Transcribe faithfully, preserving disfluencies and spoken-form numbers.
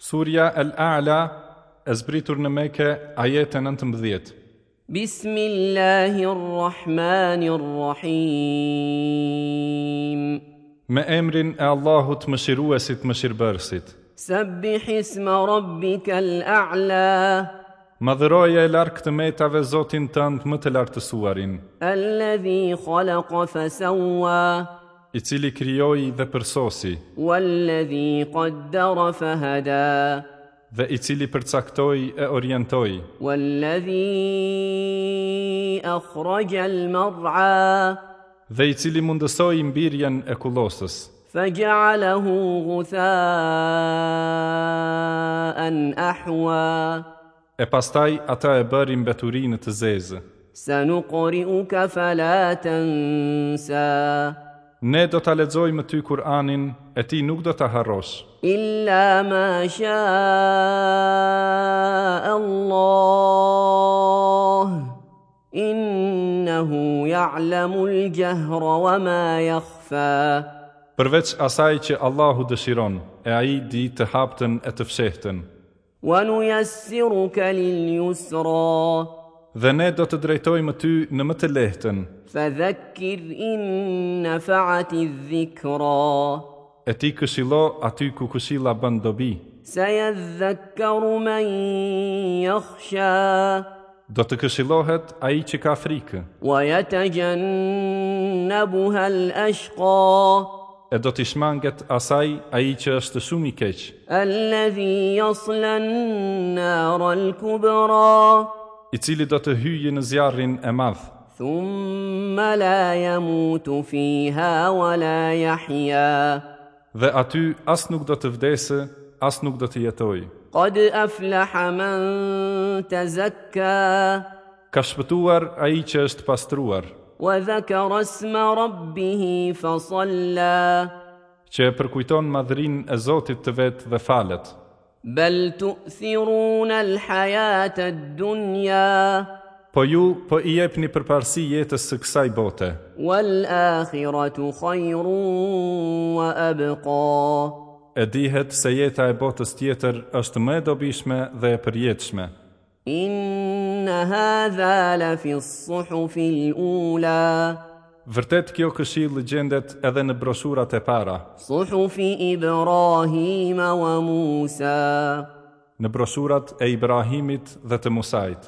Surja El-A'la e zbritur në Mekë, ajete nëntëmbëdhjetë. Bismillahirrahmanirrahim. Me emrin e Allahut Mëshiruesit, Mëshirbërësit. Sabbih isma rabbikal a'la. Madhëroje e larg të metave Zotin tënd më të lartësuarin. Alladhi khalaqa fasawwa. I cili krijoi dhe përsosi. Walladhi qaddara fahada. Dhe i cili përcaktoi e orientoi. Walladhi akhraja al-mar'a. Dhe i cili mundësoi mbirjen e kullosës. Faja'alahu ghutha'an ahwa. E pastaj ata e bëri mbeturinë të zezë. Sanuqri'uka fala tansa. Ne do ta lexojmë ty Kur'anin, e ti nuk do ta harrosh. Illa ma sha'a Allah, innahu ya'lamu al-jahra wa ma yakhfa. Përveç asaj që Allahu dëshiron, e ai di të haptën e të fshehtën. Wa nuyassiruka lil-yusra. Dhe ne do të drejtojmë ty në më të lehtën. Fadhakkir in nafa'ati dhikra. E ti këshillo aty ku këshilla bën dobi. Sayadhakkaru man yakhsha. Do të këshillohet ai që ka frikë. Wa yatajannabuha al-ashqa. E do t'i shmanget asaj ai që është shumë i keq. Alladhi yasla an-nar al-kubra. I cili do të hyjë në zjarrin e madh. Thumma la yamutu fiha wa la yahya. Dhe aty as nuk do të vdesë, as nuk do të jetojë. Qad aflaha man tazakka. Ka shpëtuar ai që është pastruar. Wa dhakara isma rabbih fa salla. Që e përkujton madhërinë e Zotit të vet dhe falet. Bel tu'thiruna al-hayata ad-dunya. Po ju po i jepni përparësi jetës së kësaj bote. Wal-akhiratu khayrun wa abqa. E dihet se jeta e botës tjetër është më e dobishme dhe e përjetshme. Inna hadha la fi as-suhufi al-ula. Vërtet kjo këshillë gjendet edhe në broshurat e para. Suhufi Ibrahim wa Musa. Në broshurat e Ibrahimit dhe të Musait.